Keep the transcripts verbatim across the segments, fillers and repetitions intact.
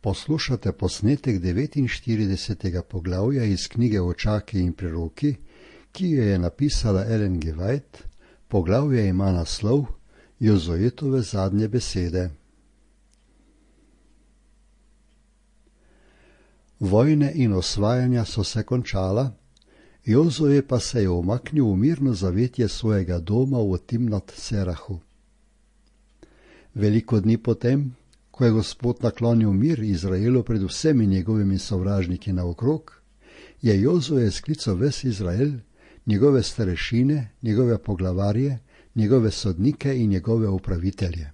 Poslušate posnetek devetinštiridesetega poglavja iz knjige Očaki in preroki, ki jo je napisala Ellen G. White. Poglavje ima naslov Jozuetove zadnje besede. Vojne in osvajanja so se končala, Jozue pa se je umaknil v mirno zavetje svojega doma v Timnat Serahu. Veliko dni potem, ko je Gospod naklonil mir Izraelu pred vsemi njegovimi sovražniki naokrog, je Jozue sklical ves Izrael, njegove starešine, njegove poglavarje, njegove sodnike in njegove upravitelje.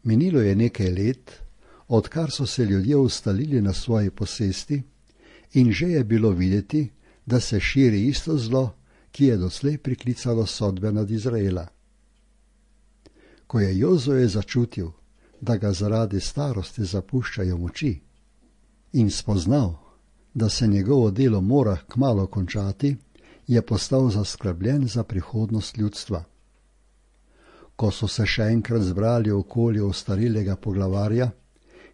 Minilo je nekaj let, odkar so se ljudje ustalili na svoji posesti, in že je bilo videti, da se širi isto zlo, ki je doslej priklicalo sodbe nad Izraela. Ko je Jozue začutil, da ga zaradi starosti zapuščajo moči, in spoznal, da se njegovo delo mora kmalu končati, je postal zaskrbljen za prihodnost ljudstva. Ko so se še enkrat zbrali okoli ostarelega poglavarja,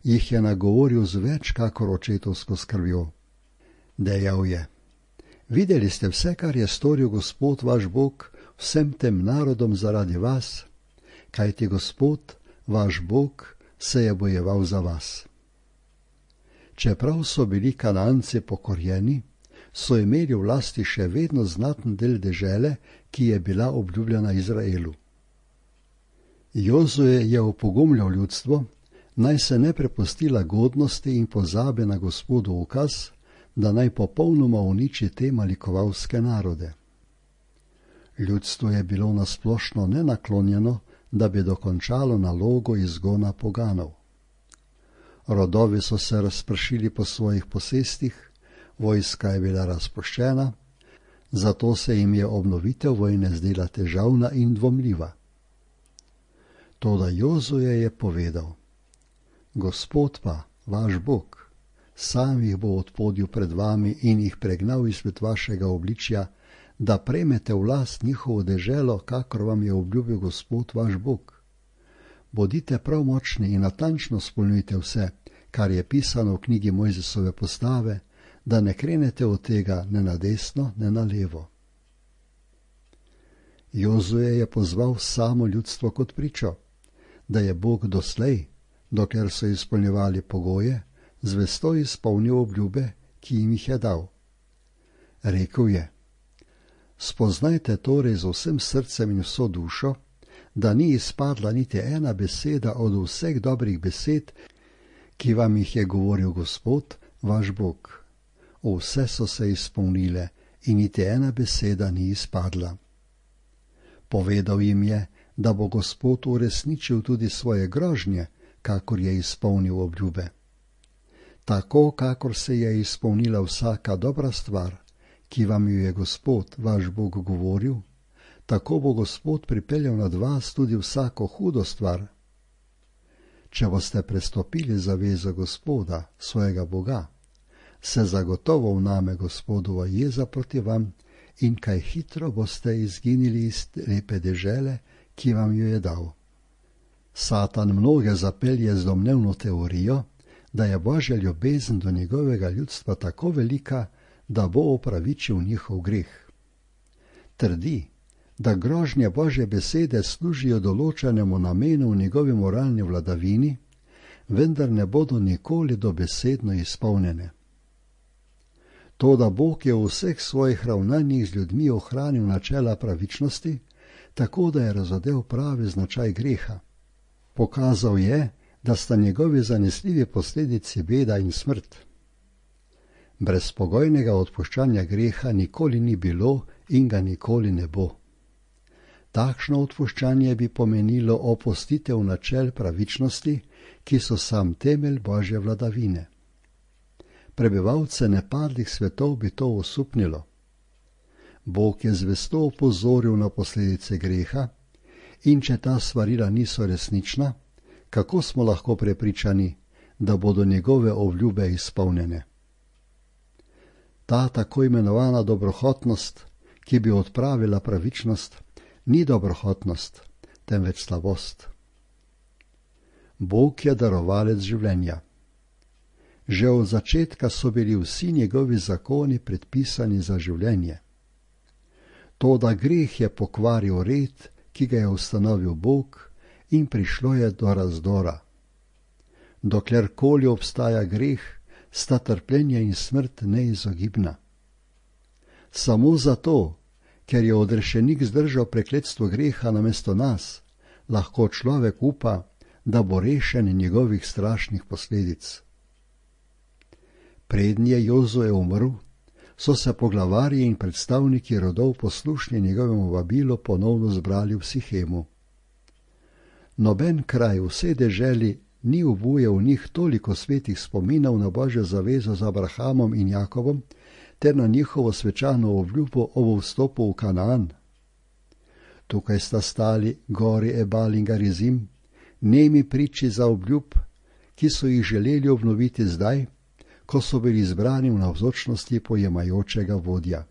jih je nagovoril z več kakor očetovsko skrbjo. Dejal je: Videli ste vse, kar je storil Gospod vaš Bog vsem tem narodom zaradi vas, kajti Gospod vaš Bog se je bojeval za vas. Čeprav so bili Kananci pokorjeni, so imeli v lasti še vedno znaten del dežele, ki je bila obljubljena Izraelu. Jozue je opogumljal ljudstvo, naj se ne prepusti lagodnosti in pozabe na Gospodu ukaz, da naj popolnoma uniči te malikovalske narode. Ljudstvo je bilo nasplošno nenaklonjeno, da bi dokončalo nalogo izgona poganov. Rodovi so se razpršili po svojih posestih, vojska je bila razpuščena, zato se jim je obnovitev vojne zdela težavna in dvomljiva. Toda Jozue je povedal: Gospod pa, vaš Bog, sam jih bo odpodil pred vami in jih pregnal izpred vašega obličja, da prejmete v last njihovo deželo, kakor vam je obljubil Gospod vaš Bog. Bodite prav močni in natančno izpolnjujte vse, kar je pisano v knjigi Mojzesove postave, da ne krenete od tega ne na desno, ne na levo. Jozue je pozval samo ljudstvo kot pričo, da je Bog doslej, dokler so izpolnjevali pogoje, zvesto izpolnil obljube, ki jim jih je dal. Rekel je: Spoznajte torej z vsem srcem in vso dušo, da ni izpadla niti ena beseda od vseh dobrih besed, ki vam jih je govoril Gospod, vaš Bog. Vse so se izpolnile in niti ena beseda ni izpadla. Povedal jim je, da bo Gospod uresničil tudi svoje grožnje, kakor je izpolnil obljube. Tako, kakor se je izpolnila vsaka dobra stvar, ki vam jo je Gospod, vaš Bog, govoril, tako bo Gospod pripeljal nad vas tudi vsako hudo stvar. Če boste prestopili zavezo Gospoda, svojega Boga, se zagotovo vname Gospodova jeza proti vam in kaj hitro boste izginili iz lepe dežele, ki vam jo je dal. Satan mnoge zapelje z domnevno teorijo, da je Božja ljubezen do njegovega ljudstva tako velika, da bo opravičil njihov greh. Trdi, da grožnje Božje besede služijo določenemu namenu v njegovi moralni vladavini, vendar ne bodo nikoli dobesedno izpolnjene. To, da Bog je v vseh svojih ravnanjih z ljudmi ohranil načela pravičnosti, tako da je razodel pravi značaj greha. Pokazal je, da sta njegovi zanesljivi posledici beda in smrt. Brezpogojnega odpuščanja greha nikoli ni bilo in ga nikoli ne bo. Takšno odpuščanje bi pomenilo opustitev načel pravičnosti, ki so sam temelj Božje vladavine. Prebivalce nepadlih svetov bi to osupnilo. Bog je zvesto opozoril na posledice greha, in če ta svarila niso resnična, kako smo lahko prepričani, da bodo njegove obljube izpolnjene? Ta tako imenovana dobrohotnost, ki bi odpravila pravičnost, ni dobrohotnost, temveč slabost. Bog je darovalec življenja. Že od začetka so bili vsi njegovi zakoni predpisani za življenje. Toda greh je pokvaril red, ki ga je ustanovil Bog, in prišlo je do razdora. Doklerkoli obstaja greh, sta trpljenje in smrt neizogibna. Samo zato, ker je odrešenik zdržal prekletstvo greha namesto nas, lahko človek upa, da bo rešen njegovih strašnih posledic. Preden je Jozue umrl, so se poglavarji in predstavniki rodov poslušni njegovemu vabilu ponovno zbrali v Sihemu. Noben kraj v vsej deželi ni obujal v njih toliko svetih spominov na Božjo zavezo z Abrahamom in Jakobom ter na njihovo svečano obljubo ob vstopu v Kanaan. Tukaj sta stali gori Ebal in Garizim, nemi priči za obljub, ki so jih želeli obnoviti zdaj, ko so bili zbrani v navzočnosti pojemajočega vodja.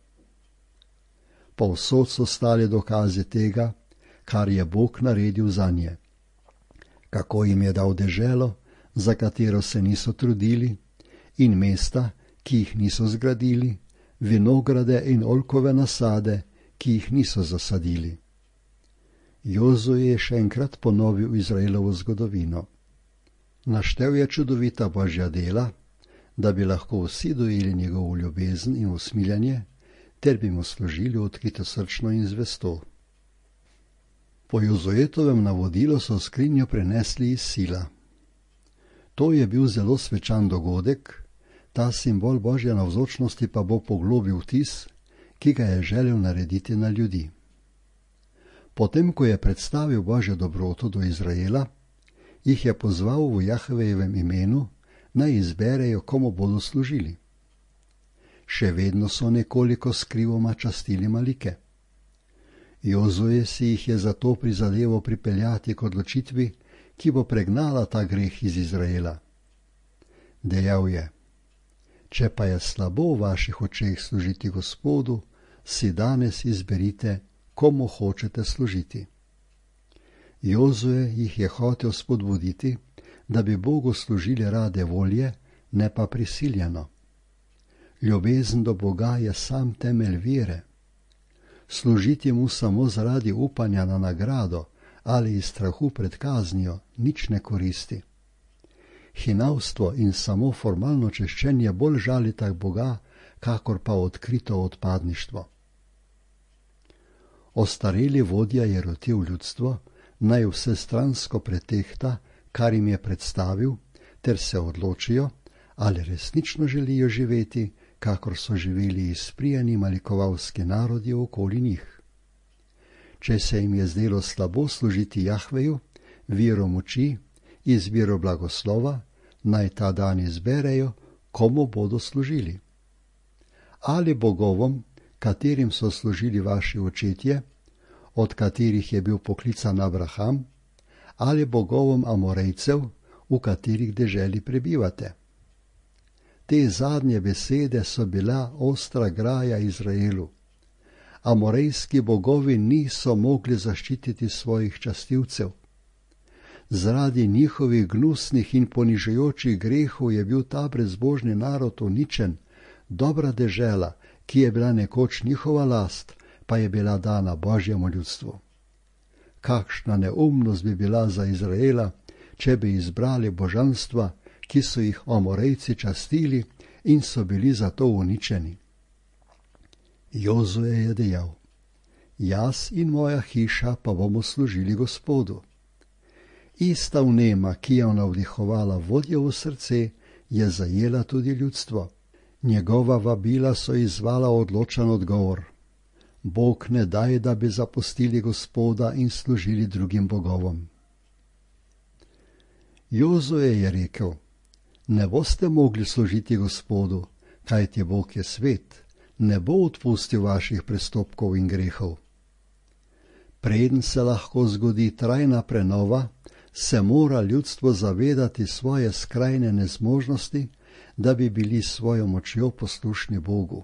Povsod so stali dokazi tega, kar je Bog naredil zanje. Kako jim je dal deželo, za katero se niso trudili, in mesta, ki jih niso zgradili, vinograde in oljkove nasade, ki jih niso zasadili. Jozue je še enkrat ponovil Izraelovo zgodovino. Naštel je čudovita Božja dela, da bi lahko vsi dojeli njegovo ljubezen in usmiljanje, ter bi mu služili odkritosrčno in zvesto. Po Jozuetovem navodilu so skrinjo prenesli iz Sila. To je bil zelo svečan dogodek, ta simbol Božje navzočnosti pa bo poglobil vtis, ki ga je želel narediti na ljudi. Potem, ko je predstavil Božjo dobroto do Izraela, jih je pozval v Jahvejevem imenu, naj izberejo, komu bodo služili. Še vedno so nekoliko skrivoma častili Malike. Jozue si jih je zato prizadeval pripeljati k odločitvi, ki bo pregnala ta greh iz Izraela. Dejal je: Če pa je slabo v vaših očeh služiti Gospodu, si danes izberite, komu hočete služiti. Jozue jih je hotel spodbuditi, da bi Bogu služili rade volje, ne pa prisiljeno. Ljubezen do Boga je sam temelj vere. Služiti mu samo zaradi upanja na nagrado ali iz strahu pred kaznijo nič ne koristi. Hinavstvo in samo formalno češčenje bolj žalita Boga, kakor pa odkrito odpadništvo. Ostareli vodja je rotil ljudstvo, naj vsestransko pretehta, kar jim je predstavil, ter se odločijo, ali resnično želijo živeti, kakor so živeli izprijeni malikovalski narodi okoli njih. Če se jim je zdelo slabo služiti Jahveju, viru moči, izbiro blagoslova, naj ta dan izberejo, komu bodo služili. Ali bogovom, katerim so služili vaši očetje, od katerih je bil poklican Abraham, ali bogovom Amorejcev, v katerih deželi prebivate. Te zadnje besede so bila ostra graja Izraelu. Amorejski bogovi niso mogli zaščititi svojih častilcev. Zaradi njihovih gnusnih in ponižujočih grehov je bil ta brezbožni narod uničen, dobra dežela, ki je bila nekoč njihova last, pa je bila dana Božjemu ljudstvu. Kakšna neumnost bi bila za Izraela, če bi izbrali božanstva, ki so jih Amorejci častili in so bili zato uničeni. Jozue je dejal: Jaz in moja hiša pa bomo služili Gospodu. Ista vnema, ki je navdihovala vodjevo srce, je zajela tudi ljudstvo. Njegova vabila so izzvala odločen odgovor. Bog ne daj, da bi zapustili Gospoda in služili drugim bogovom. Jozue je rekel: Ne boste mogli služiti Gospodu, kajti Bog je svet, ne bo odpustil vaših prestopkov in grehov. Preden se lahko zgodi trajna prenova, se mora ljudstvo zavedati svoje skrajne nezmožnosti, da bi bili s svojo močjo poslušni Bogu.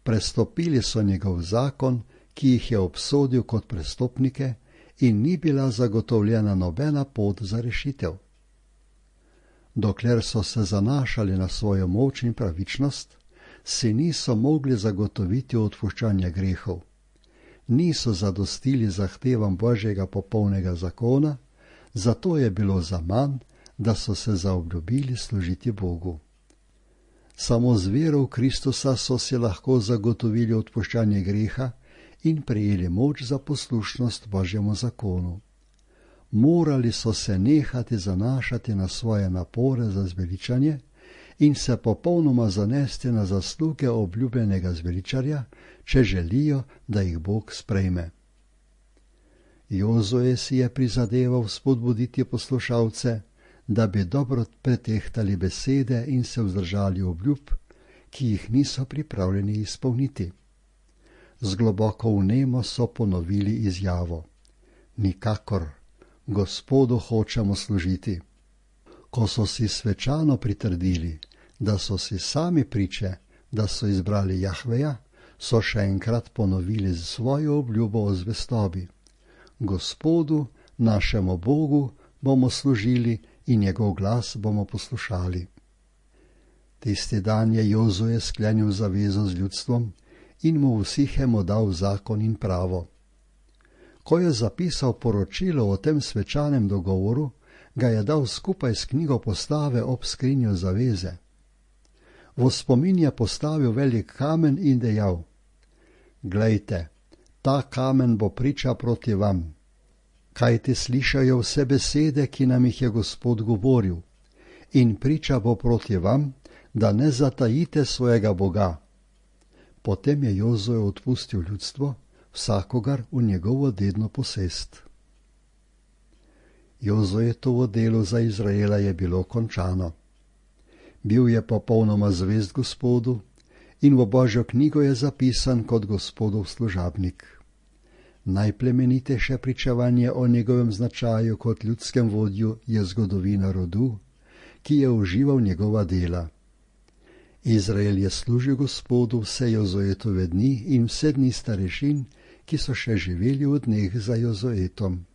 Prestopili so njegov zakon, ki jih je obsodil kot prestopnike, in ni bila zagotovljena nobena pot za rešitev. Dokler so se zanašali na svojo moč in pravičnost, si niso mogli zagotoviti odpuščanja grehov. Niso zadostili zahtevam Božjega popolnega zakona, zato je bilo zaman, da so se zaobljubili služiti Bogu. Samo z vero v Kristusa so si lahko zagotovili odpuščanje greha in prejeli moč za poslušnost Božjemu zakonu. Morali so se nehati zanašati na svoje napore za zveličanje in se popolnoma zanesti na zasluge obljubljenega zveličarja, če želijo, da jih Bog sprejme. Jozue si je prizadeval spodbuditi poslušalce, da bi dobro pretehtali besede in se vzdržali obljub, ki jih niso pripravljeni izpolniti. Z globoko vnemo so ponovili izjavo: nikakor, Gospodu hočemo služiti. Ko so si svečano pritrdili, da so si sami priče, da so izbrali Jahveja, so še enkrat ponovili svojo obljubo o zvestobi. Gospodu, našemu Bogu, bomo služili in njegov glas bomo poslušali. Tisti dan je Jozue sklenil zavezo z ljudstvom in mu v Sihemu dal zakon in pravo. Ko je zapisal poročilo o tem svečanem dogovoru, ga je dal skupaj s knjigo postave ob skrinjo zaveze. V spomin je postavil velik kamen in dejal: glejte, ta kamen bo priča proti vam. Kajti slišajo vse besede, ki nam jih je Gospod govoril, in priča bo proti vam, da ne zatajite svojega Boga. Potem je Jozue odpustil ljudstvo, vsakogar v njegovo dedno posest. Jozuetovo delo za Izraela je bilo končano. Bil je popolnoma zvest Gospodu in v Božjo knjigo je zapisan kot Gospodov služabnik. Najplemenitejše pričevanje o njegovem značaju kot ljudskem vodju je zgodovina rodu, ki je užival njegova dela. Izrael je služil Gospodu vse Jozuetove dni in vse dni starešin, ki so še živeli v dneh za Jozuetom.